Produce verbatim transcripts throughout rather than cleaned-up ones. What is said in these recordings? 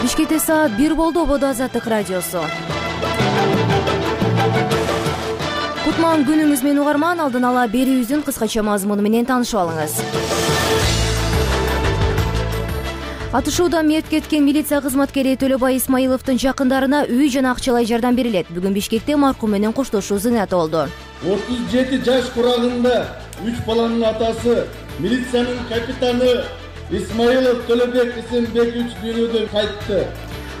Бишкекте саат бир болду. Ободо Азаттык радиосу. Кутман күнүңүз менен угарман. Алдын ала берүүбүздүн кыскача мазмуну менен таанышып алыңыз. Атышууда мерт кеткен милиция кызматкери Төлөбай Исмаиловдун жакындарына үй жана акчалай жардам берилет. Бүгүн Бишкекте маркум менен коштошуу зыйнаты болду. отуз жети жаш курагында үч баланын атасы, милициянын капитаны Исмаилов Төлөбек Исенбекович дүйнөдөн кайтты.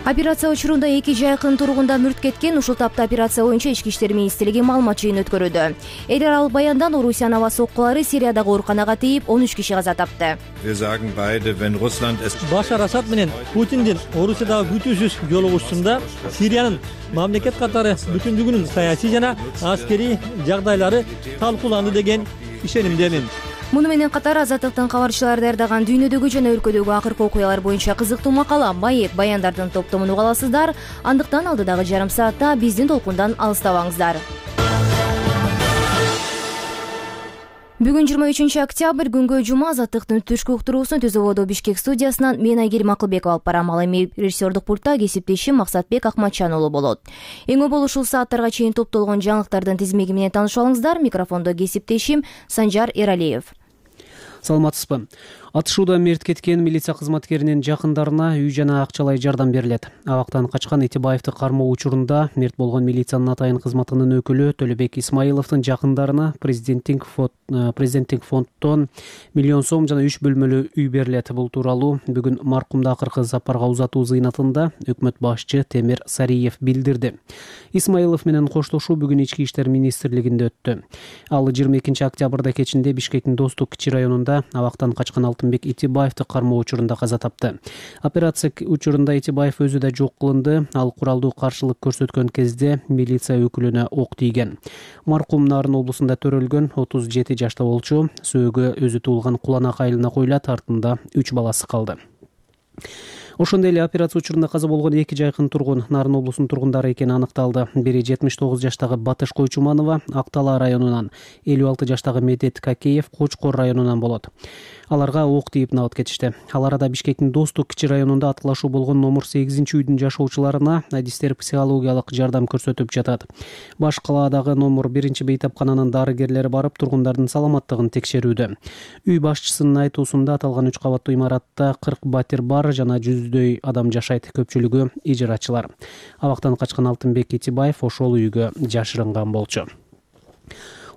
Операция учурунда эки жайкын тургунда мүрт кеткен. Ушул тапта операция боюнча Ички иштер министрлиги маалымат жыйын өткөрүүдө. Эл аралык баяндан Орусиянын аба соккулары Сириядагы ооруканага тийип, он үч киши каза тапты. Башар Асад менен Путиндин Орусиядагы күтүүсүз жолугушуусунда Сириянын мамлекет катары бүтүндүгүнүн саясий жана аскерий жагдайлары талкууланды деген ишенимдемин. Муну менен катар Азаттыктын кабарчылары даярдаган дүйнөдөгү жана өлкөдөгү акыркы окуялар боюнча кызыктуу макала, маек, баяндардын топтомун уга аласыздар. Андыктан алдыдагы жарым саатта биздин толкундан алыстабаңыздар. Бүгүн жыйырма үчүнчү октябрь, күнгө жума. Азаттыктын түшкү уктуруусун Түз Ободо Бишкек студиясынан мен Айгерим Акылбекова алып барам. Ал эми режиссердук пультта кесиптешим Максатбек Акматчан уулу болот. Эң боло ушул сааттарга чейин топтолгон жаңылыктардын тизмеги менен таанышып алыңыздар. Микрофондо кесиптешим Санжар Эралиев. Саламатсызбы. Атышууда мерт кеткен милиция кызматкеринин жакындарына үй жана акчалай жардам берилет. Абактан качкан Итибаевди кармоо учурунда мерт болгон милициянын атайын кызматынын өкүлү Төлөбек Исмаиловдун жакындарына президенттик президенттик фонддон миллион сом жана үч бөлмөлүү үй берилет. Бул тууралуу бүгүн маркумду акыркы сапарга узатуу зыйнатында өкмөт башчы Темир Сариев билдирди. Исмаилов менен коштошуу бүгүн Ички иштер министрлигинде өттү. Ал жыйырма экинчи октябрда кечинде Бишкектин Достук кичи районунда абактан качкан Алтынбек Итибаевди кармоо учурунда каза тапты. Операция учурунда Итибаев өзү да жок кылынды. Ал куралдуу каршылык көрсөткөн кезде милиция өкүлүнө ок тийген. Маркум Нарын облусунда төрөлгөн, отуз жети жашта болчу. Сөөгү өзү туулган Куланак айылына коюлат, артында үч баласы калды. Ошондой эле операция учурунда каза болгон эки жайкын тургун Нарын облусунун тургундары экени аныкталды. Бири жетимиш тогуз жаштагы Батыш Койчуманова Актала районунан, элүү алты жаштагы Медет Какеев Кочкор районунан болот. Аларга ок тийип набыт кетишти. Ал арада Бишкектин Достук кичи районунда аткылашуу болгон номер сегизинчи үйдүн жашоочуларына адистер психологиялык жардам көрсөтүп жатат. Баш калаадагы номер биринчи бейтапкананын дарыгерлери барып тургундардын саламаттыгын текшерүүдө. Үй башчысынын айтуусунда аталган үч кабаттуу имаратта кырк батир бар жана жүздөй адам жашайт, көпчүлүгү ижарачылар. Абактан качкан Алтынбек Итибаев ошол үйгө жашырынган болчу.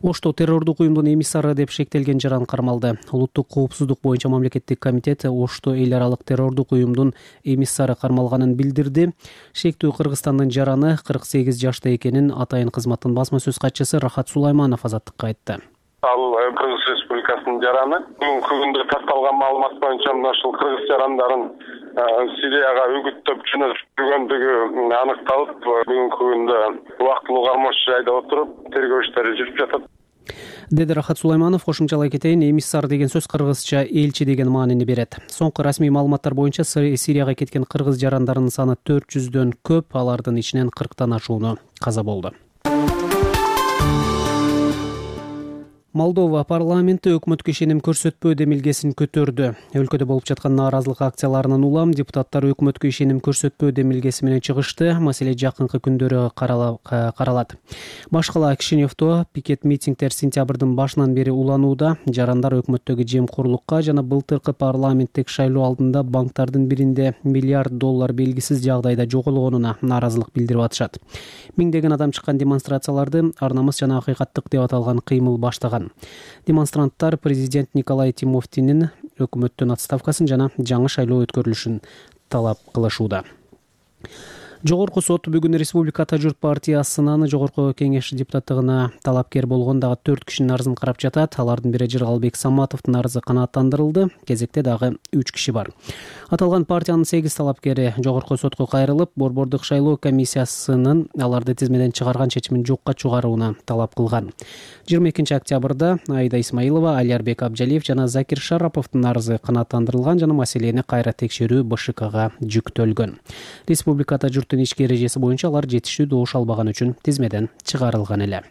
Ошто террордук уюмдун эмиссары деп шектелген жаран кармалды. Улуттук коопсуздук боюнча мамлекеттик комитет Ошто эл аралык террордук уюмдун эмиссары кармалганын билдирди. Шектүү Кыргызстандын жараны кырк сегиз жашта экенин атайын кызматтын басма сөз катчысы Рахат Сулайманов Азаттыкка айтты. Ал Кыргыз Республикасынын жараны. Бүгүнкү күндө тарталган маалымат боюнча мына ушул кыргыз жарандарын Сирияга үгүттөп жөнөтүп жүргөндүгү аныкталып, бүгүнкү күндө убактылуу кармош жайда отуруп тергөө иштери жүрүп жатат, деди Рахат Сулайманов. Кошумчалай кетейин, эмиссар деген сөз кыргызча элчи деген маанини берет. Соңку расмий маалыматтар боюнча Сирияга кеткен кыргыз жарандарынын саны төрт жүздөн көп, алардын ичинен кырктан ашууну каза болду. Молдова парламенти өкмөткө ишеним көрсөтпөө демилгесин көтөрдү. Өлкөдө болуп жаткан нааразылык акцияларынан улам депутаттар өкмөткө ишеним көрсөтпөө демилгеси менен чыгышты. Маселе жакынкы күндөрү каралат. Баш кала Кишиневдо пикет митингдер сентябрдын башынан бери уланууда. Жарандар өкмөттөгү жемкорлукка жана былтыркы парламенттик шайлоо алдында банктардын биринде миллиард доллар белгисиз жагдайда жоголгонуна нааразылык билдирип атышат. Миңдеген адам чыккан демонстрацияларды ар намыс жана акыйкаттык деп аталган кыймыл баштаган. Демонстранттар президент Николай Тимофтинин өкмөттөн отставкасын жана жаңы шайлоо өткөрүлүшүн талап кылышууда. Жогорку сот бүгүн Республика Ата журт партиясынын жогорку кеңеш депутаттыгына талапкер болгон дагы төрт кишинин арызын карап жатат. Алардын бири Жыргалбек Саматовдун арызы канааттандырылды. Кезекте дагы үч киши бар. Аталган партиянын сегиз талапкери жогорку сотко кайрылып, борбордук шайлоо комиссиясынын аларды тизмеден чыгарган чечимин жокко чыгарууна талап кылган. жыйырма экинчи октябрда Айда Исмаилова, Алиарбек Абжалиев жана Закир Шараповдун арызы канааттандырылган жана маселени кайра текшерүү Б Ш Кга жүктөлгөн. Республика Ата журттун ички эрежеси боюнча алар жетиштүү добуш албаган үчүн тизмеден чыгарылган эле.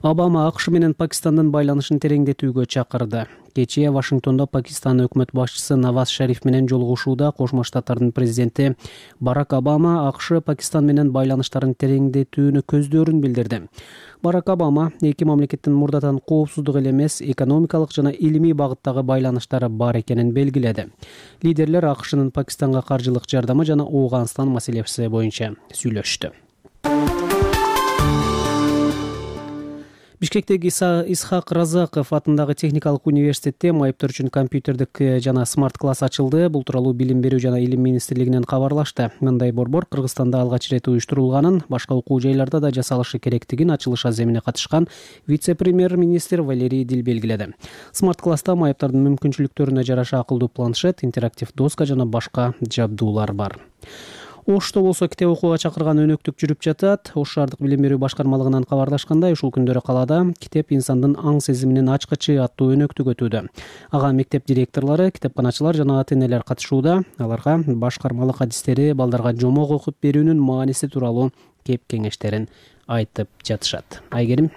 Обама АКШ менен Пакистандын байланышын тереңдетүүгө чакырды. Кечээ Вашингтондо Пакистан өкмөт башчысы Наваз Шариф менен жолугушууда Кошмо Штаттардын президенти Барак Обама АКШ Пакистан менен байланыштарын тереңдетүүнү көздөрүн билдирди. Барак Обама эки мамлекеттин мурдатан коопсуздук эле эмес, экономикалык жана илимий багыттагы байланыштары бар экенин белгиледи. Лидерлер АКШнын Пакистанга каржылык жардамы жана Ооганстан маселеси боюнча сүйлөштү. Бишкектеги Исхак Разаков атындагы техникалык университетте майыптар үчүн компьютердик жана смарт класс ачылды. Бул тууралуу Билим берүү жана илим министрлигинен кабарлашты. Мындай борбор Кыргызстанда алгач ирет уюштурулганын, башка окуу жайларда да жасалышы керектигин ачылыш аземине катышкан вице-премьер-министр Валерий Дил белгиледи. Смарт класста майыптардын мүмкүнчүлүктөрүнө жараша акылдуу планшет, интерактив доска жана башка жабдуулар бар. Ошто болсо китеп окууга чакырган өнөктүк жүрүп жатат. Ош шаардык билим берүү башкармалыгынан кабарлашкандай, ушул күндөрү калаада китеп инсандын аң сезиминин ачкычы аттуу өнөктүк өтүүдө. Ага мектеп директорлору, китепканачылар жана ата-энелер катышууда. Аларга башкармалык адистери балдарга жомок окуп берүүнүн мааниси тууралуу кеп кеңештерин айтып жатышат. Айгерим.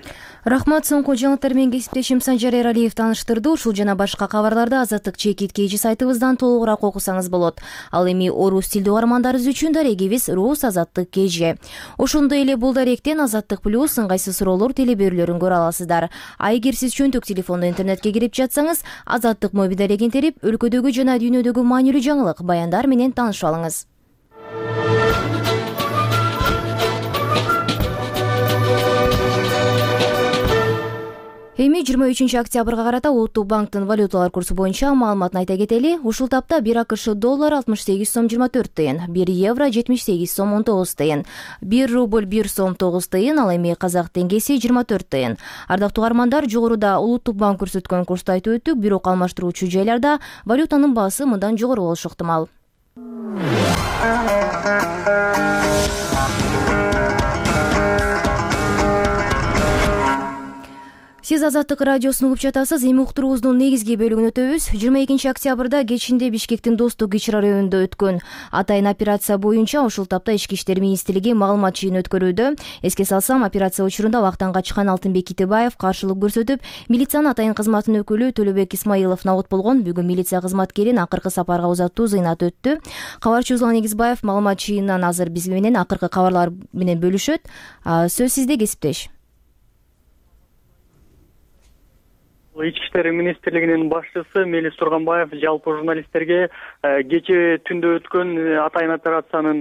Рахмат. Соңку жаңылыктар менен кесиптешим Санжар Эралиев тааныштырды. Ушул жана башка кабарларды Азаттык чекит кейжи сайтыбыздан толугураак окусаңыз болот. Ал эми орус тилдүү угармандарыбыз үчүн дарегибиз Рус Азаттык кейжи. Ошондой эле бул даректен Азаттык плюс ыңгайсыз суроолор телеберүүлөрүн көрө аласыздар. А эгер сиз чөнтөк телефондо интернетке кирип жатсаңыз, Азаттык моби дарегин терип, өлкөдөгү жана дүйнөдөгү маанилүү жаңылык, баяндар менен таанышып алыңыз. Эми жыйырма үчүнчү октябрга карата Улуттук банктын валюталар курсу боюнча маалыматын айта кетели. Ушул тапта бир АКШ доллар алтымыш сегиз сом жыйырма төрт тыйын, бир евро жетимиш сегиз сом он тогуз тыйын, бир рубль бир сом тогуз тыйын, ал эми казак теңгеси жыйырма төрт тыйын. Ардактуу угармандар, жогоруда Улуттук банк көрсөткөн курсту айтып өттүк, бирок алмаштыруучу жайларда валютанын баасы мындан жогору болушу ыктымал. Сиз Азаттык радиосун угуп жатасыз. Эми уктуруубуздун негизги бөлүгүн өтөбүз. жыйырма экинчи октябрда кечинде Бишкектин Достук ИЧ районунда өткөн атайын операция боюнча ушул тапта Ички иштер министрлиги маалымат жыйыны өткөрүүдө. Эске салсам, операция учурунда абактан качкан Алтынбек Китебаев каршылык көрсөтүп, милициянын атайын кызматынын өкүлү Төлөбек Исмаилов набыт болгон. Бүгүн милиция кызматкерин акыркы сапарга узатуу зыйнат өттү. Кабарчы Узлан Эгизбаев маалымат жыйынынан азыр биз менен акыркы кабарлар менен бөлүшөт. Сөз сизде, кесиптеш. Ички иштер министрлигинин башчысы Мелис Турганбаев жалпы журналисттерге кечээ түндө өткөн атайын операциянын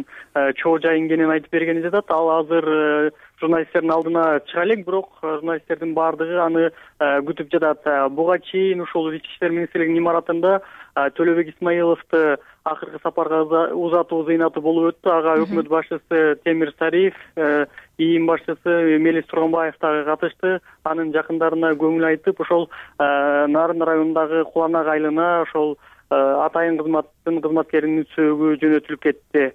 чоо жайы энгенин айтып бергени жатат. Ал азыр журналисттердин алдына чыга элек, бирок журналисттердин баардыгы аны күтүп жатат. Буга чейин ушул Ички иштер министрлигинин имаратында Төлөбек Исмаиловду акыркы сапарга узатуу зыйнаты болуп өттү. Ага өкмөт башчысы Темир Сариев, ИИМ башчысы Мелис Турганбаев дагы катышты. Анын жакындарына көңүл айтып, ошол Нарын районундагы Куланак айылына ошол атайын кызматтын кызматкеринин сөөгү жөнөтүлүп кетти.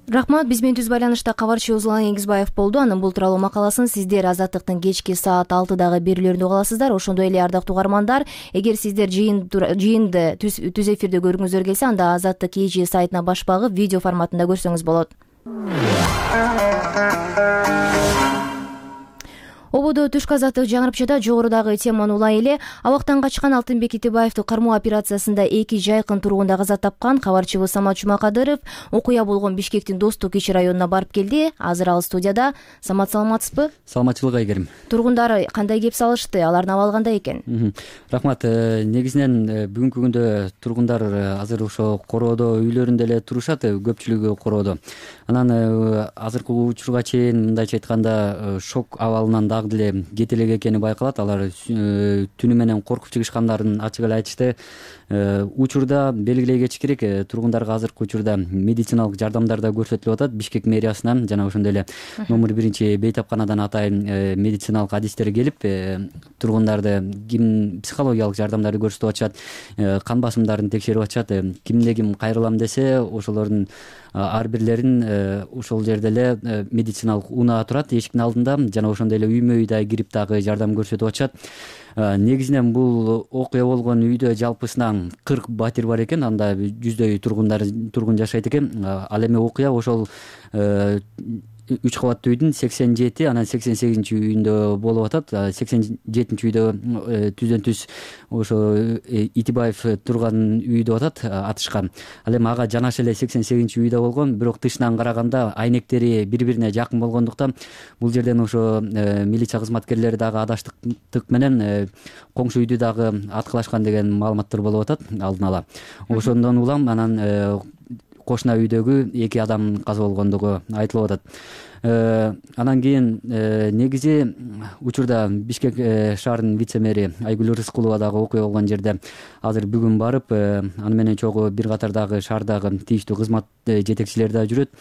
Рахмат. Биз менен түз байланышта кабарчы Узлан Эгизбаев болду. Анын бул тууралуу макаласын сиздер Азаттыктын кечки саат алтыдагы берүүлөрүндө уга аласыздар. Ошондой эле ардактуу угармандар, эгер сиздер жыйынды түз эфирде көргүңүздөр келсе, анда Азаттык ИЖ сайтына баш багып, видео форматында көрсөңүз болот. Ободо түшкү азаттык жаңырып жатат. Жогорудагы теманы улай эле абактан качкан Алтынбек Китебаевди кармоо операциясында эки жайкын тургунда каза тапкан кабарчыбыз Самат Жумакадыров окуя болгон Бишкектин Достук ИЧ районуна барып келди. Азыр ал студияда. Самат, саламатсызбы? Саламатчылык, Айгерим. Тургундар кандай кеп салышты? Алардын абалы кандай экен? Рахмат. Негизинен бүгүнкү күндө тургундар азыр ошо короодо, үйлөрүндө эле турушат, көпчүлүгү короодо. Анан азыркы учурга чейин мындайча айтканда шок абалынан дагы деле кете элек экени байкалат. Алар түнү менен коркуп чыгышкандарын ачык эле айтышты. Учурда белгилей кетиш керек, тургундарга азыркы учурда медициналык жардамдар да көрсөтүлүп атат. Бишкек мэриасынан жана ошондой эле номер биринчи бейтапканадан атайын медициналык адистер келип, тургундарды ким психологиялык жардамдарды көрсөтүп атышат, кан басымдарын текшерип атышат. Кимде ким кайрылам десе, ошолордун ар бирлерин ошол жерде эле медициналык унаа турат эшиктин алдында, жана ошондой эле үймө үй да кирип дагы жардам көрсөтүп атышат. Негизинен бул окуя болгон үйдө жалпысынан кырк батир бар экен, анда жүздөй тургундар тургун жашайт экен. Ал эми окуя ошол үч кабаттуу үйдүн сексен жети анан сексен сегизинчи үйүндө болуп атат. сексен жетинчи үйдө түздөн түз ошо Итибаев турган үй деп атат атышкан. Ал эми ага жанаша эле сексен сегизинчи үйдө болгон, бирок тышынан караганда айнектери бири бирине жакын болгондуктан бул жерден ошо милиция кызматкерлери дагы адаштык менен коңшу үйдү дагы аткылашкан деген маалыматтар болуп атат алдын ала. Ошондон улам анан кошуна үйдөгү эки адам каза болгондугу айтылып атат. Анан кийин негизи учурда Бишкек шаарынын вице-мэри Айгүл Рыскулова дагы окуя болгон жерде азыр бүгүн барып, аны менен чогуу бир катар дагы шаардагы тийиштүү кызмат жетекчилери да жүрөт.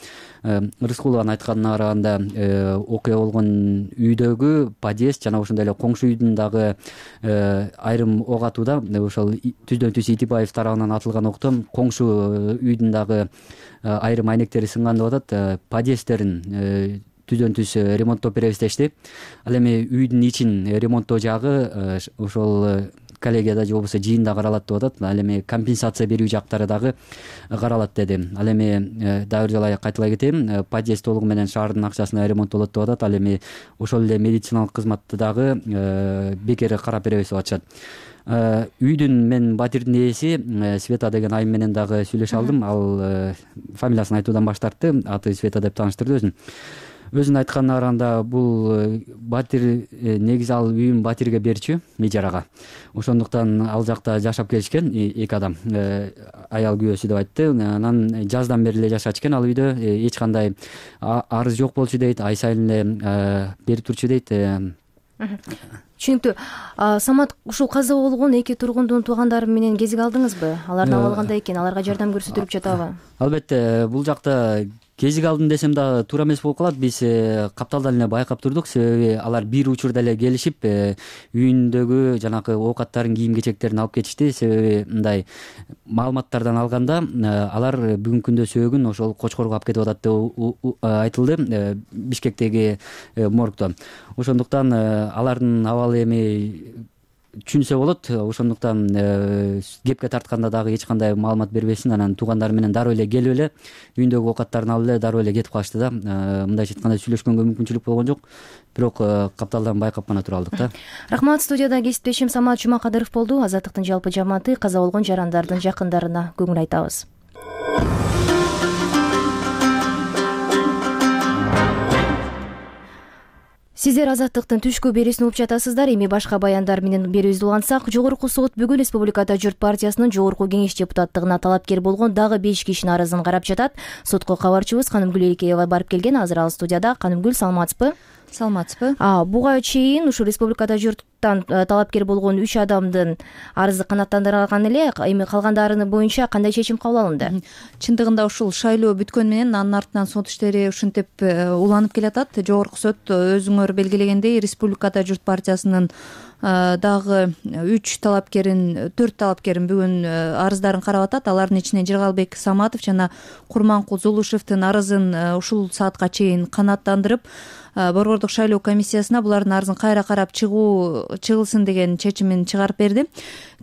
Рыскулованын айтканына караганда окуя болгон үйдөгү подъезд жана ошондой эле коңшу үйдүн дагы айрым ок атууда ошол түздөн түз Итибаев тарабынан атылган октон коңшу үйдүн дагы айрым айнектери сынган деп атат. Подъезддерин түздөн түз ремонттоп беребиз дешти. Ал эми үйдүн ичин ремонттоо жагы ошол коллегияда же болбосо жыйында каралат деп атат. Ал эми компенсация берүү жактары дагы каралат деди. Ал эми дагы бир жолу кайталай кетейин, подъезд толугу менен шаардын акчасына ремонттолот деп атат. Ал эми ошол эле медициналык кызматты дагы бекер карап беребиз деп атышат. Үйдүн мен батирдин ээси Света деген айым менен дагы сүйлөшө алдым. Ал фамилиясын айтуудан баш тартты, аты Света деп тааныштырды өзүн. Өзүнүн айтканына караганда бул батир негизи ал үйүн батирге берчү ижарага. Ошондуктан ал жакта жашап келишкен эки адам. Аял күйөөсү деп айтты. Анан жаздан бери эле жашачу ал үйдө. Эч кандай арыз жок болчу дейт, ай сайын эле берип турчу дейт. Түшүнүктүү. Самат, ушул каза болгон эки тургундун туугандары менен кезиг алдыңызбы? Алардын абалгандай экен, аларга жардам көрсөтүлүп жатабы? Албетте, бул жакта кезиг алдым десем да туура эмес болуп калат. Биз капталдан эле байкап турдук, себеби алар бир учурда эле келишип үйүндөгү жанагы оокаттарын, кийим кечектерин алып кетишти. Себеби мындай маалыматтардан алганда алар бүгүнкү күндө сөөгүн ошол Кочкорго алып кетип атат деп айтылды Бишкектеги моргдон. Ошондуктан алардын абалы эми түшүнсө болот. Ошондуктан кепке тартканда дагы эч кандай маалымат бербесин. Анан туугандары менен дароо эле келип эле үйүндөгү оокаттарын алып эле дароо эле кетип калышты да. Мындайча айтканда сүйлөшкөнгө мүмкүнчүлүк болгон жок. Бирок капталдан байкап гана тура алдык да. Рахмат. Студияда кесиптешим Самат Жумакадыров болду. Азаттыктын жалпы жамааты каза болгон жарандардын жакындарына көңүл айтабыз. Сиздер Азаттыктын түшкү берүүсүн угуп жатасыздар. Эми башка баяндар менен берүүбүздү улантсак, Жогорку сот бүгүн Республикада Журт партиясынын Жогорку кеңеш депутаттыгына талапкер болгон дагы беш кишинин арызын карап жатат. Сотко кабарчыбыз Канымгүл Эликеева барып келген. Азыр ал студияда. Канымгүл, саламатсызбы? Саламатсызбы? Буга чейин ушу Республикада Журттан талапкер болгон үч адамдын арызы канааттандырылган эле. Эми калгандарынын боюнча кандай чечим кабыл алынды? Чындыгында ушул шайлоо бүткөн менен анын артынан сот иштери ушинтип уланып келатат. Жогорку сот өзүңөр белгилегендей Республикада Журт партиясынын дагы үч талапкерин, төрт талапкерин бүгүн арыздарын карап атат. Алардын ичинен Жыргалбек Саматов жана Курманкул Зулушевдин арызын ушул саатка чейин канааттандырып, Борбордук шайлоо комиссиясына булардын арызын кайра карап чыгуу чыгылсын деген чечимин чыгарып берди.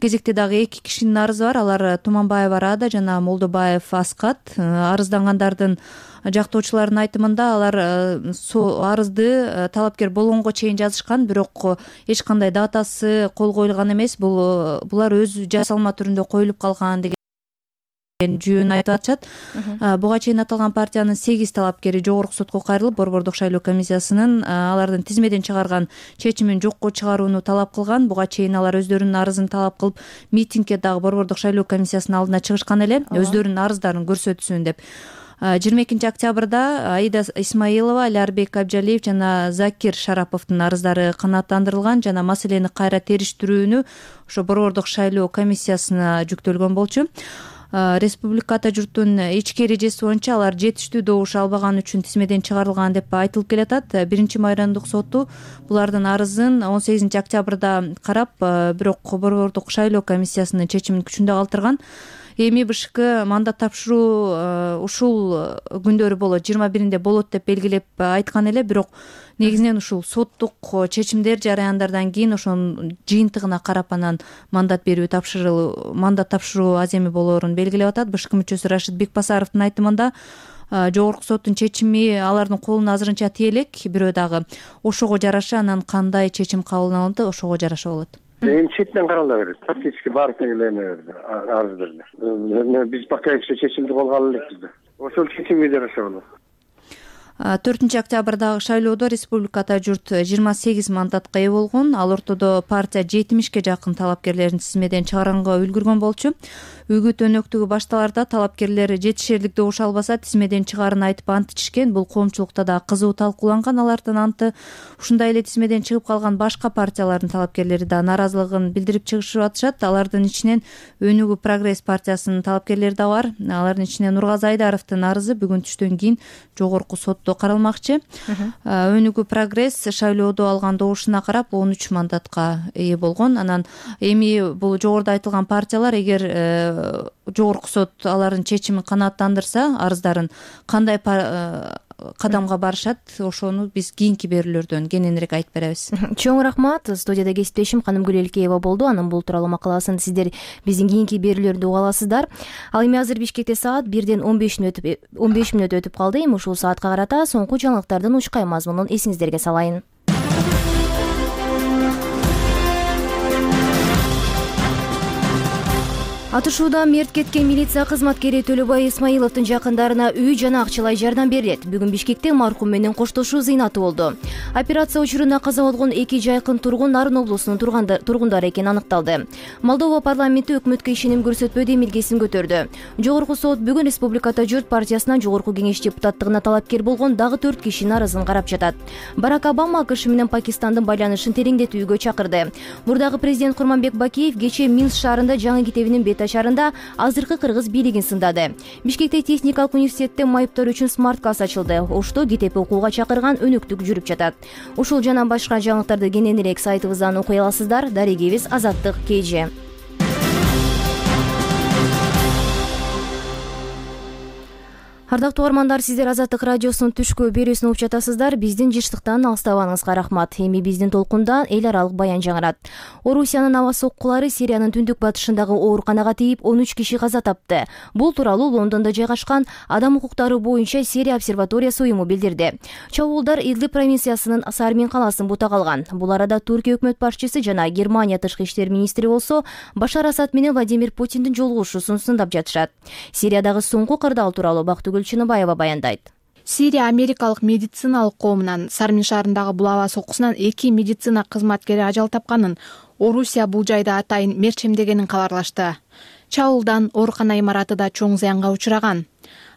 Кезекте дагы эки кишинин арызы бар. Алар Туманбаева Рада жана Молдобаев Аскат. Арыздангандардын жактоочулардын айтымында алар арызды талапкер болгонго чейин жазышкан, бирок эч кандай датасы кол коюлган эмес. Бул булар өз жасалма түрүндө коюлуп калган деген жүйөн айтып атышат. Буга чейин аталган партиянын сегиз талапкери Жогорку сотко кайрылып, Борбордук шайлоо комиссиясынын алардын тизмеден чыгарган чечимин жокко чыгарууну талап кылган. Буга чейин алар өздөрүнүн арызын талап кылып, митингге дагы Борбордук шайлоо комиссиясынын алдына чыгышкан эле, өздөрүнүн арыздарын көрсөтсүн деп. жыйырма экинчи октябрда Аида Исмаилова, Алярбек Абжалиев жана Закир Шараповдун арыздары канааттандырылган жана маселени кайра териштирүүнү ошо Борбордук шайлоо комиссиясына жүктөлгөн болчу. Республикада Журттун ички эрежеси боюнча алар жетиштүү добуш албаган үчүн тизмеден чыгарылган деп айтылып келатат. Биринчи майрандык соту булардын арызын он сегизинчи октябрда карап, бирок Борбордук шайлоо комиссиясынын чечимин күчүндө калтырган. эми бшк мандат тапшыруу ушул күндөрү болот, жыйырма биринде болот деп белгилеп айткан эле, бирок негизинен ушул соттук чечимдер жараяндардан кийин ошонун жыйынтыгына карап анан мандат берүү тапшыруу мандат тапшыруу аз эми болоорун белгилеп атат. БШК мүчөсү Рашид Бекбасаровдун айтымында жогорку соттун чечими алардын колуна азырынча тие элек, бирөө дагы ошого жараша анан кандай чечим кабыл алынат ошого жараша болот. Эми четинен каралыла берет. Фактически баардык эле арыз берди. Биз пока еще чечимди колго ала элекпиз да. Ошол чечимге жараша болот. төртүнчү октябрдагы шайлоодо республикада журт жыйырма сегиз мандатка ээ болгон. Ал ортодо партия жетимишке жакын талапкерлерин тизмеден чыгарганга үлгүргөн болчу. Үгүт өнөктүгү башталарда талапкерлер жетишерлик добуш албаса тизмеден чыгаарын айтып ант ичишкен. Бул коомчулукта да кызуу талкууланган. Алардын анты ушундай эле тизмеден чыгып калган башка партиялардын талапкерлери да нааразылыгын билдирип чыгышып атышат. Алардын ичинен Өнүгүү Прогресс партиясынын талапкерлери да бар. Алардын ичинен Нургазы Айдаровдун арызы бүгүн түштөн кийин жогорку сотто каралмакчы. Өнүгүү Прогресс шайлоодо алган добушуна карап он үч мандатка ээ болгон. Анан эми бул жогоруда айтылган партиялар эгер жогорку сот алардын чечимин канааттандырса, арыздарын кандай кадамга барышат, ошону биз кийинки берүүлөрдөн кененирээк айтып беребиз. Чоң рахмат. Студияда кесиптешим Канымгүл Элкеева болду. Анын бул тууралуу макаласын сиздер биздин кийинки берүүлөрдө уга аласыздар. Ал эми азыр Бишкекте саат бирден он беш мүнөт он беш мүнөт өтүп калды. Эми ушул саатка карата соңку жаңылыктардын учкай мазмунун эсиңиздерге салайын. Атышуудан мерт кеткен милиция кызматкери Төлөбай Исмаиловдун жакындарына үй жана акчалай жардам берилет. Бүгүн Бишкекте маркум менен коштошуу зыйнаты болду. Операция учурунда каза болгон эки жайкын тургун Нарын облусунун тургундары экени аныкталды. Молдова парламенти өкмөткө ишеним көрсөтпөө демилгесин көтөрдү. Жогорку сот бүгүн Республиката Журт партиясынан жогорку кеңеш депутаттыгына талапкер болгон дагы төрт кишинин арызын карап жатат. Барак Обама АКШ менен Пакистандын байланышын тереңдетүүгө чакырды. Мурдагы президент Курманбек Бакиев кечээ Минск шаарында жаңы китебинин бет шаарында азыркы кыргыз бийлигин сындады. Бишкекте техникалык университетте майыптар үчүн смарт класс ачылды. Ошто китеп окууга чакырган өнөктүк жүрүп жатат. Ушул жана башка жаңылыктарды кененирээк сайтыбыздан окуй аласыздар. Дарегибиз Азаттык КЖ. Ардактуу угармандар, сиздер Азаттык радиосунун түшкү берүүсүн угуп жатасыздар. Биздин жыштыктан алыстабаңызга рахмат. Эми биздин толкунда эл аралык баян жаңырат. Орусиянын аба соккулары Сириянын түндүк батышындагы ооруканага тийип он үч киши каза тапты. Бул тууралуу Лондондо жайгашкан Адам укуктары боюнча Сирия обсерваториясы уюму билдирди. Чабуулдар Идлиб провинциясынын Сармин калаасын бутак алган. Бул арада Туркия өкмөт башчысы жана Германия тышкы иштер министри болсо Башар Асад менен Владимир Путиндин жолугушуусун сындап жатышат. Сириядагы соңку кырдаал тууралуу Бактыгүл Чыныбаева баяндайт. Сирия америкалык медициналык коомунан Сармин шаарындагы бул аба соккусунан эки медицина кызматкери ажал тапканын, Орусия бул жайда атайын мерчемдегенин кабарлашты. Чабуулдан оорукана имараты да чоң зыянга учураган.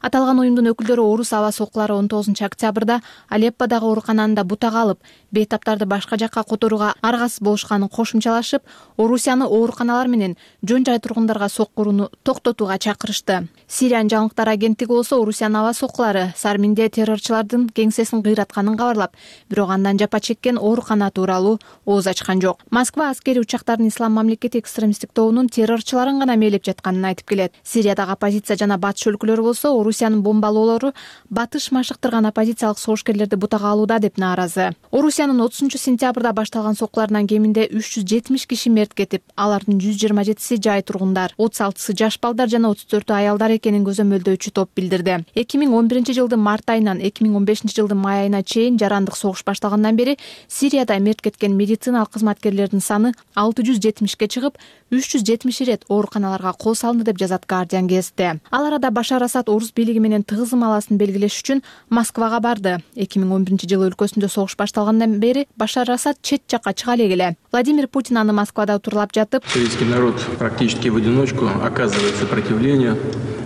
Аталган уюмдун өкүлдөрү орус аба соккулары он тогузунчу октябрда Алепподагы оорукананы да бутак алып, бейтаптарды башка жакка которууга аргасыз болушканын кошумчалашып, Орусияны ооруканалар менен жөн жай тургундарга соккурууну токтотууга чакырышты. Сириянын жаңылыктар агенттиги болсо Орусиянын аба соккулары Сарминде террорчулардын кеңсесин кыйратканын кабарлап, бирок андан жапа чеккен оорукана тууралуу ооз ачкан жок. Москва аскери учактардын Ислам мамлекети экстремисттик тобунун террорчуларын гана мээлеп жатканын айтып келет. Сириядагы оппозиция жана батыш өлкөлөрү болсо Орусиянын бомбалоолору батыш машыктырган оппозициялык согушкерлерди бутак алууда деп нааразы. Орусиянын отузунчу сентябрда башталган соккуларынан кеминде үч жүз жетимиш киши мерт кетип, алардын жүз жыйырма жетиси жай тургундар, отуз алтысы жаш балдар жана отуз төртү аялдар экенин көзөмөлдөөчү топ билдирди. эки миң он биринчи жылдын март айынан эки миң он бешинчи жылдын май айына чейин жарандык согуш башталгандан бери Сирияда мерт кеткен медициналык кызматкерлердин саны алты жүз жетимишке чыгып, үч жүз жетимиш ирет ооруканаларга кол салынды деп жазат Guardian гезити. Ал арада Башар Асад орус бийлиги менен тыгыз ымаласын белгилеш үчүн Москвага барды. эки миң он биринчи жылы өлкөсүндө согуш башталгандан бери Башар Асад чет жакка чыга элегиле. Владимир Путин аны Москвада турлап жатып, сирийский народ практически в одиночку оказывает сопротивление,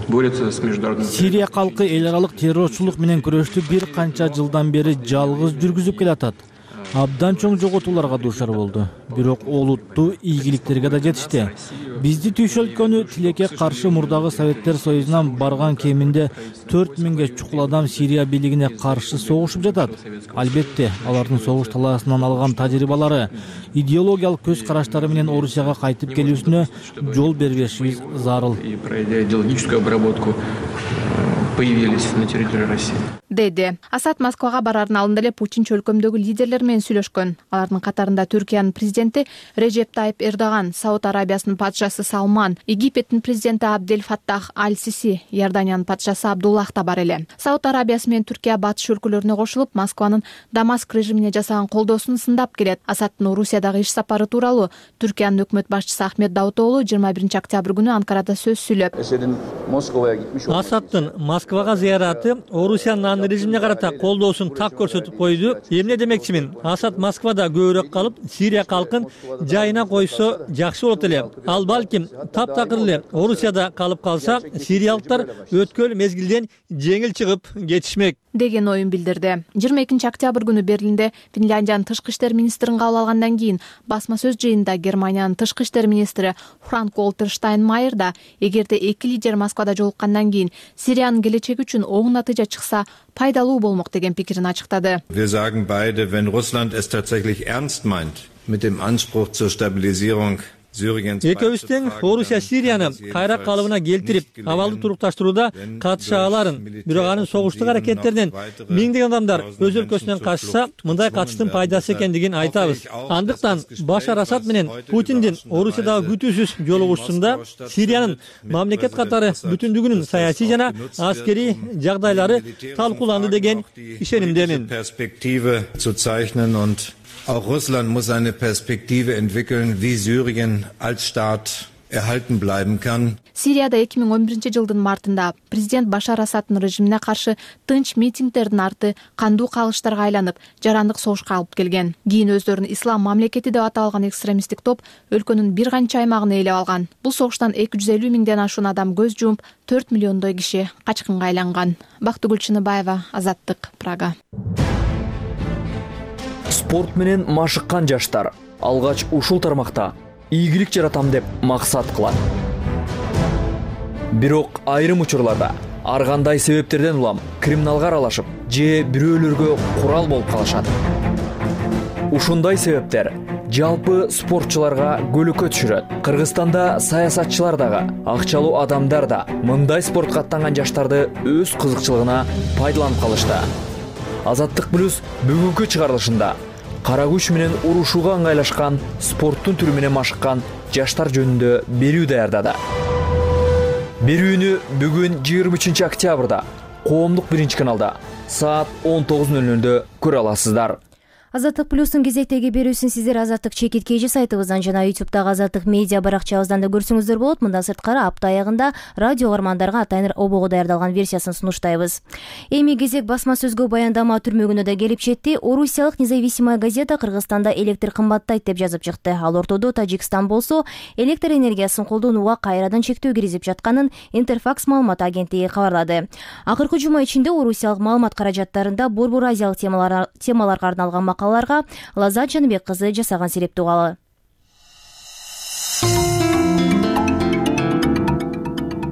борется с международным. Сирия калкы эл аралык террорчулук менен күрөштү бир канча жылдан бери жалгыз жүргүзүп келатат. абдан чоң жоготууларга дуушар болду. Бирок олуттуу ийгиликтерге да жетишти. Бизди түйшө өлкөнү тилекке каршы мурдагы Советтер Союзунан барган кеминде төрт миңге чукул адам Сирия бийлигине каршы согушуп жатат. Албетте, алардын согуш талаасынан алган тажрыйбалары, идеологиялык көз караштары менен Орусияга кайтып келүүсүнө жол бербешибиз зарыл. И пройдя идеологическую обработку, появились на территории России. Деди. Асад Москвага барардын алдында эле Путин чөлкөмдөгү лидерлер менен сүйлөшкөн. Алардын катарында Түркиянын президенти Режеп Тайип Эрдоган, Сауд Арабиясынын падышасы Салман, Египеттин президенти Абдель Фаттах Аль-Сиси, Иорданиянын падышасы Абдуллах да бар эле. Сауд Арабиясы менен Түркия батыш өлкөлөрүнө кошулуп, Москванын Дамаск режимине жасаган колдоосун сындап келет. Асадтын Орусиядагы иш сапары тууралуу Түркиянын өкмөт башчысы Ахмет Давутоглу жыйырма биринчи октябрь күнү Анкарада сөз сүйлөп, Асадтын Москвага зыяраты Орусиянын режимине карата колдоосун так көрсөтүп койду. Эмне демекчимин? Асад Москвада көбүрөөк калып, Сирия калкын жайына койсо жакшы болот эле. Ал балким таптакыр эле Орусияда калып калса, сириялыктар өткөн мезгилден жеңил чыгып кетишмек деген оюн билдирди. жыйырма экинчи октябрь күнү Берлинде Финляндиянын тышкы иштер министрин кабыл алгандан кийин басма сөз жыйынында Германиянын тышкы иштер министри Франк Волтер Штайнмайер да эгерде эки лидер Москвада жолуккандан кийин Сириянын келечеги үчүн оң натыйжа чыкса пайдалуу болмок деген пикирин ачыктады. Wir sagen beide, wenn Russland es tatsächlich ernst meint mit dem Anspruch zur Stabilisierung Экөөбүз тең Орусия Сирияны кайра калыбына келтирип, абалды турукташтырууда катыша аларын. Бирок анын согуштук аракеттеринен миңдеген адамдар өз өлкөсүнөн качса, мындай качыштын пайдасы экендигин айтабыз. Андыктан Башар Асад менен Путиндин Орусиядагы күтүүсүз жолугушуусунда Сириянын мамлекет катары бүтүндүгүнүн саясий жана аскерий жагдайлары талкууланды деген ишенимдемин. Auch Russland muss eine Perspektive entwickeln, wie Syrien als Staat erhalten bleiben kann. Сирияда эки миң он биринчи жылдын мартында президент Башар Асадтын режимине каршы тынч митингдердин арты кандуу кагылыштарга айланып, жарандык согушка алып келген. Кийин өздөрүн ислам мамлекети деп аталган экстремисттик топ өлкөнүн бир канча аймагын ээлеп алган. Бул согуштан эки жүз элүү миңден ашуун адам көз жумуп, төрт миллиондой киши качкынга айланган. Бактыгүл Чыныбаева, Азаттык, Прага. Спорт менен машыккан жаштар алгач ушул тармакта ийгилик жаратам деп максат кылат. Бирок айрым учурларда ар кандай себептерден улам криминалга аралашып же бирөөлөргө курал болуп калышат. Ушундай себептер жалпы спортчуларга көлөкө түшүрөт. Кыргызстанда саясатчылар дагы, акчалуу адамдар да мындай спортко аттанган жаштарды өз кызыкчылыгына пайдаланып калышты. Азаттык плюс бүгүнкү чыгарылышында кара күч менен урушууга ыңгайлашкан спорттун түрү менен машыккан жаштар жөнүндө берүү даярдады. Берүүнү бүгүн жыйырма үчүнчү октябрда коомдук биринчи каналда саат он тогуз нөл нөлдө көрө аласыздар. Азаттык плюстун кезектеги берүүсүн сиздер Азаттык чекит кж сайтыбыздан жана ютубтагы Азаттык медиа баракчабыздан да көрсөңүздөр болот. Мындан сырткары апта аягында радио угармандарга атайын обого даярдалган версиясын сунуштайбыз. Эми кезек басма сөзгө баяндама түрмөгүнө да келип жетти. Орусиялык Независимая газета Кыргызстанда электр кымбаттайт деп жазып чыкты. Ал ортодо Тажикстан болсо электр энергиясын колдонууга кайрадан чектөө киргизип жатканын Интерфакс маалымат агенттиги кабарлады. Акыркы жума ичинде орусиялык маалымат каражаттарында борбор азиялык темаларга арналган макалаларга Лазат Жаныбек кызы жасаган серептүү калы.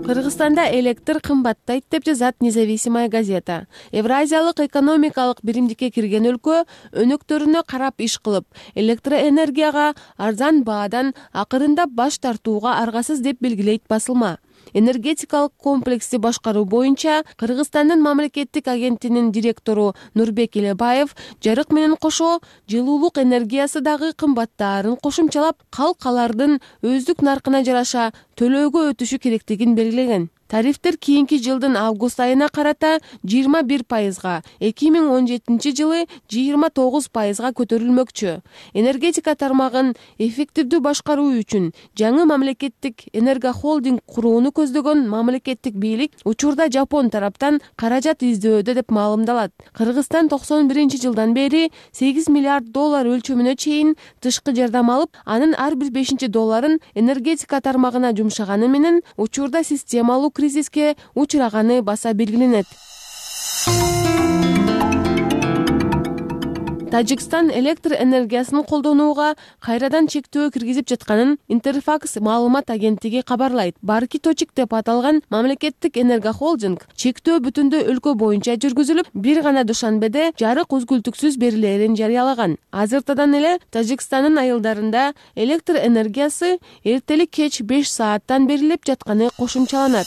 Кыргызстанда электр кымбаттайт деп жазат Независимая газета. Евразиялык экономикалык биримдикке кирген өлкө өнөктөрүнө карап иш кылып, электроэнергияга арзан баадан акырындап баш тартууга аргасыз деп белгилейт басылма. Энергетикалык комплексти башкаруу боюнча Кыргызстандын мамлекеттик агенттигинин директору Нурбек Элебаев жарык менен кошо жылуулук энергиясы дагы кымбаттаарын кошумчалап, калкалардын өздүк наркына жараша төлөөгө өтүшү керектигин белгилеген. Тарифтер кийинки жылдын август айына карата жыйырма бир пайызга, эки миң он жетинчи жылы жыйырма тогуз пайызга көтөрүлмөкчү. Энергетика тармагын эффективдүү башкаруу үчүн жаңы мамлекеттик энергохолдинг курууну көздөгөн мамлекеттик бийлик учурда Жапон тараптан каражат издөөдө деп маалымдалат. Кыргызстан токсон биринчи жылдан бери сегиз миллиард доллар өлчөмүнө чейин тышкы жардам алып, анын ар бир бешинчи долларын энергетика тармагына жумшаганы менен учурда системалуу кризиске учураганы баса белгиленет. Тажикстан электр энергиясын колдонууга кайрадан чектөө киргизип жатканын Интерфакс маалымат агенттиги кабарлайт. Барки Точик деп аталган мамлекеттик энергохолдинг чектөө бүтүндөй өлкө боюнча жүргүзүлүп, бир гана Душанбеде жарык үзгүлтүксүз берилерин жарыялаган. Азыртадан эле Тажикстандын айылдарында электр энергиясы эртелик кеч беш сааттан берилип жатканы кошумчаланат.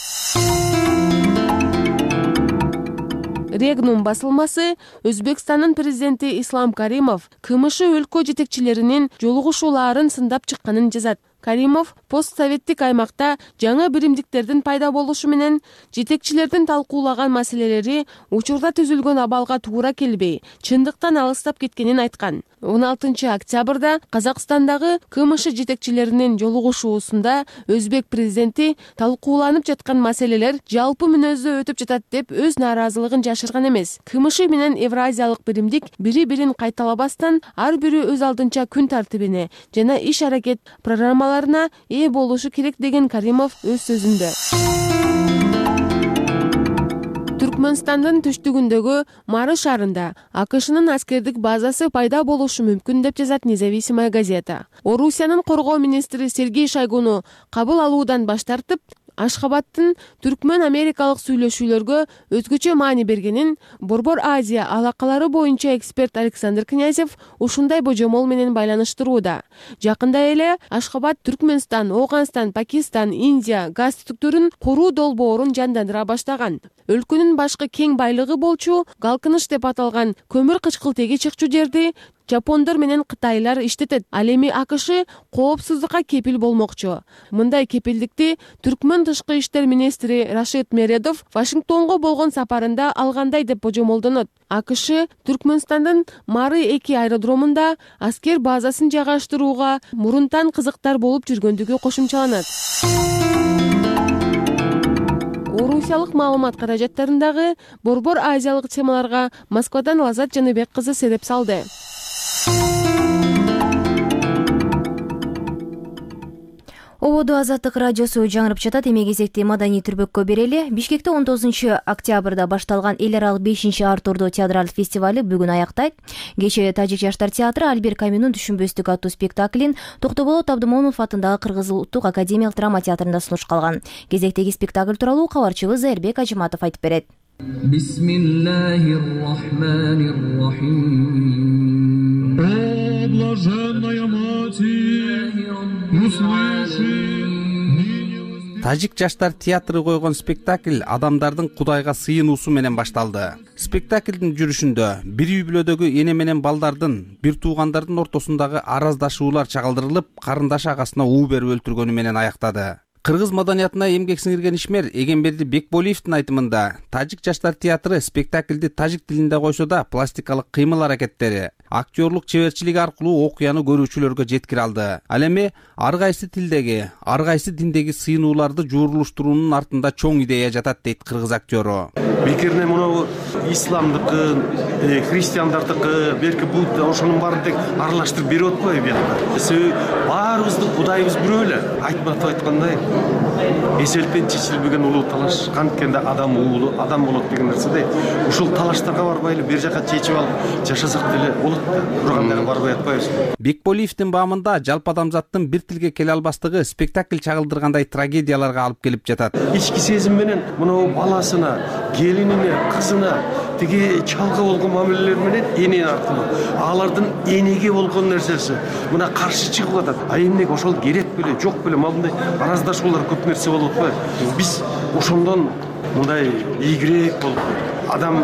Регнум басылмасы Өзбекстандын президенти Ислам Каримов КМШ өлкө жетекчилеринин жолугушууларын сындап чыкканын жазат. Каримов постсоветтик аймакта жаңы биримдиктердин пайда болушу менен жетекчилердин талкуулаган маселелери учурда түзүлгөн абалга туура келбей, чындыктан алыстап кеткенин айткан. он алтынчы октябрда Казакстандагы КМШ жетекчилеринин жолугушуусунда Өзбек президенти талкууланып жаткан маселелер жалпы мүнөздө өтүп жатат деп өз нааразылыгын жашырган эмес. КМШ менен Евразиялык биримдик бири-бирин кайталабастан ар бири өз алдынча күн тартибине жана иш-аракет программаларына ээ болушу керек деген Каримов өз сөзүндө. Түркмөнстандын түштүгүндөгү Мары шаарында АКШнын аскердик базасы пайда болушу мүмкүн деп жазат Независимая газета. Орусиянын коргоо министри Сергей Шойгуну кабыл алуудан баш тартып, Ашхабадтын түркмөн америкалык сүйлөшүүлөргө өзгөчө маани бергенин Борбор Азия алакалары боюнча эксперт Александр Князев ушундай божомол менен байланыштырууда. Жакында эле Ашхабад Түркмөнстан, Оганстан, Пакистан, Индия газ түтүктөрүн куруу долбоорун жандандыра баштаган. Өлкөнүн башкы кең байлыгы болчу Галкыныч деп аталган көмүр кычкылтеги чыкчу жерди Жапондор менен Кытайлар иштетет. Ал эми АКШ коопсуздукка кепил болмокчу. Мындай кепилдикти Түркмөн тышкы иштер министри Рашид Мередов Вашингтонго болгон сапарында алгандай деп божомолдонот. АКШ Түркмөнстандын Мары эки аэродромунда аскер базасын жайгаштырууга мурунтан кызыктар болуп жүргөндүгү кошумчаланат. Орусиялык маалымат каражаттарындагы Борбор Азиялык темаларга Москвадан Лазат Жаныбек кызы сереп салды. Ободо Азаттык радиосу жаңырып жатат. Эми кезекти маданий түрбөккө берели. Бишкекте он тогузунчу октябрда башталган эл аралык бешинчи Артурдо театралдык фестиваль бүгүн аяктайт. Кечээ Тажик жаштар театры Альбер Камюнун Түшүнбөстүк аттуу спектаклин Токтоболот Абдымомунов атындагы Кыргыз Улуттук академиялык драма театрында сунуш калган. Кезектеги спектакль тууралуу кабарчыбыз Зайырбек Ажыматов айтып берет. Тажик жаштар театры койгон спектакль адамдардын Кудайга сыйынуусу менен башталды. Спектаклдин жүрүшүндө бир үй бүлөдөгү эне менен балдардын, бир туугандардын ортосундагы араздашуулар чагылдырылып, карындаш агасына уу берип өлтүргөнү менен аяктады. Кыргыз маданиятына эмгек сиңирген ишмер Эгемберди Бекболиевдин айтымында, Тажик жаштар театры спектаклди тажик тилинде койсо да пластикалык кыймыл аракеттери, актерлук чеберчилиги аркылуу окуяны көрүүчүлөргө жеткире алды. Ал эми ар кайсы тилдеги, ар кайсы диндеги сыйынууларды жуурулуштуруунун артында чоң идея жатат дейт кыргыз актёру. Бекерне мына исламдыкы, христиандардыкы, берки Будда ошонун баарын тег аралаштырып берип атпайбы биякта. Себеби баарыбыздын Кудайыбыз бирөө эле. Айтматов айткандай, эселтен чечилбеген улуу талаш канткенде адам уулу, адам болот деген нерседе. Ушул талаштарга барбай эле бир жака чечип алып жашасак деле болот да. Бирок андайга барбай атпайбыз. Бекболиевдин баамында жалпы адамзаттын бир тилге келе албастыгы спектакль чагылдыргандай трагедияларга алып келип жатат. Ички сезим менен мына баласына, келинине, кызына тиги чалга болгон мамилелер менен эне аркылуу алардын энеге болгон нерсеси мына каршы чыгып атат. А эмнеге ошол керек беле, жок беле, мындай араздашуулар көп нерсе болуп атпайбы? Биз ошондон мындай ийгирээк болуп, адам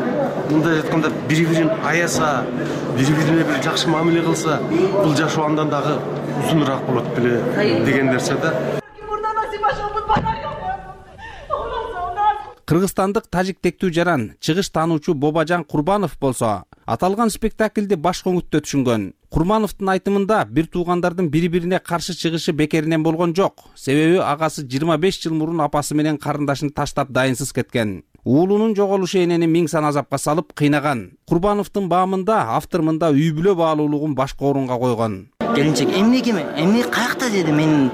мындай айтканда бири-бирин аяса, бири-бирине бир жакшы мамиле кылса, бул жашоо андан дагы узунураак болот беле деген нерсе да. Кыргызстандык тажик тектүү жаран, чыгыш таануучу Бобажан Курбанов болсо, аталган спектакльди баш көңүттө түшүнгөн. Курмановдун айтымында бир туугандардын бири-бирине каршы чыгышы бекеринен болгон жок. Себеби агасы жыйырма беш жыл мурун апасы менен карындашын таштап дайынсыз кеткен. Уулунун жоголушу энени миң сан азапка салып кыйнаган. Курбановдун баамында автор мында үй бүлө баалуулугун башкы орунга койгон. келинчек эмнеге эмне каякта деди, менин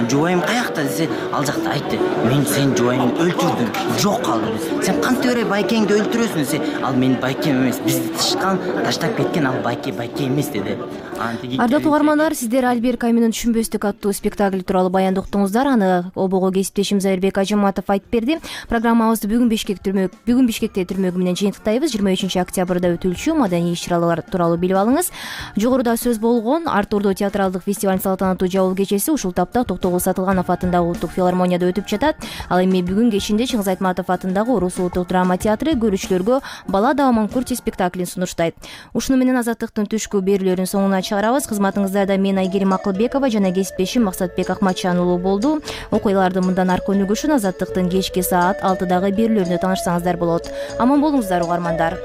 жубайым каякта десе, ал жакта айтты, мен сенин жубайыңды өлтүрдүм, жок калды. Сен кантип эле байкеңди өлтүрөсүң десе, ал менин байкем эмес, бизди тышкан, таштап кеткен, ал байке байке эмес деди. Ардактуу угармандар, сиздер Альбер Камюнун Түшүнбөстүк аттуу спектакль тууралуу баяндоо уктуңуздар. Аны обого кесиптешим Зайырбек Ажыматов айтып берди. Программабызды бүгүн Бишкек түрмөк бүгүн Бишкекте түрмөгү менен жыйынтыктайбыз. жыйырма үчүнчү октябрда өтүлчү маданий иш-чаралар тууралуу билип алыңыз. Жогоруда сөз болгон Артурдуу театралдык фестиваль салтанаттуу жабыл кечеси ушул тапта Токтогул Сатылганов атындагы улуттук филармонияда өтүп жатат. Ал эми бүгүн кечинде Чыңгыз Айтматов атындагы Орус улуттук драма театры көрүүчүлөргө Бала да Аманкурти спектаклин сунуштайт. Ушуну менен Азаттыктын түшкү берүүлөрүн соңуна чыгарабыз. Кызматыңыздарда мен Айгерим Акылбекова жана кесиптешим Максатбек Акматжан уулу болду. Окуяларды мындан аркы өнүгүшүн Азаттыктын кечки саат алтыдагы берүүлөрүндө таанышсаңыздар болот. Аман болуңуздар угармандар.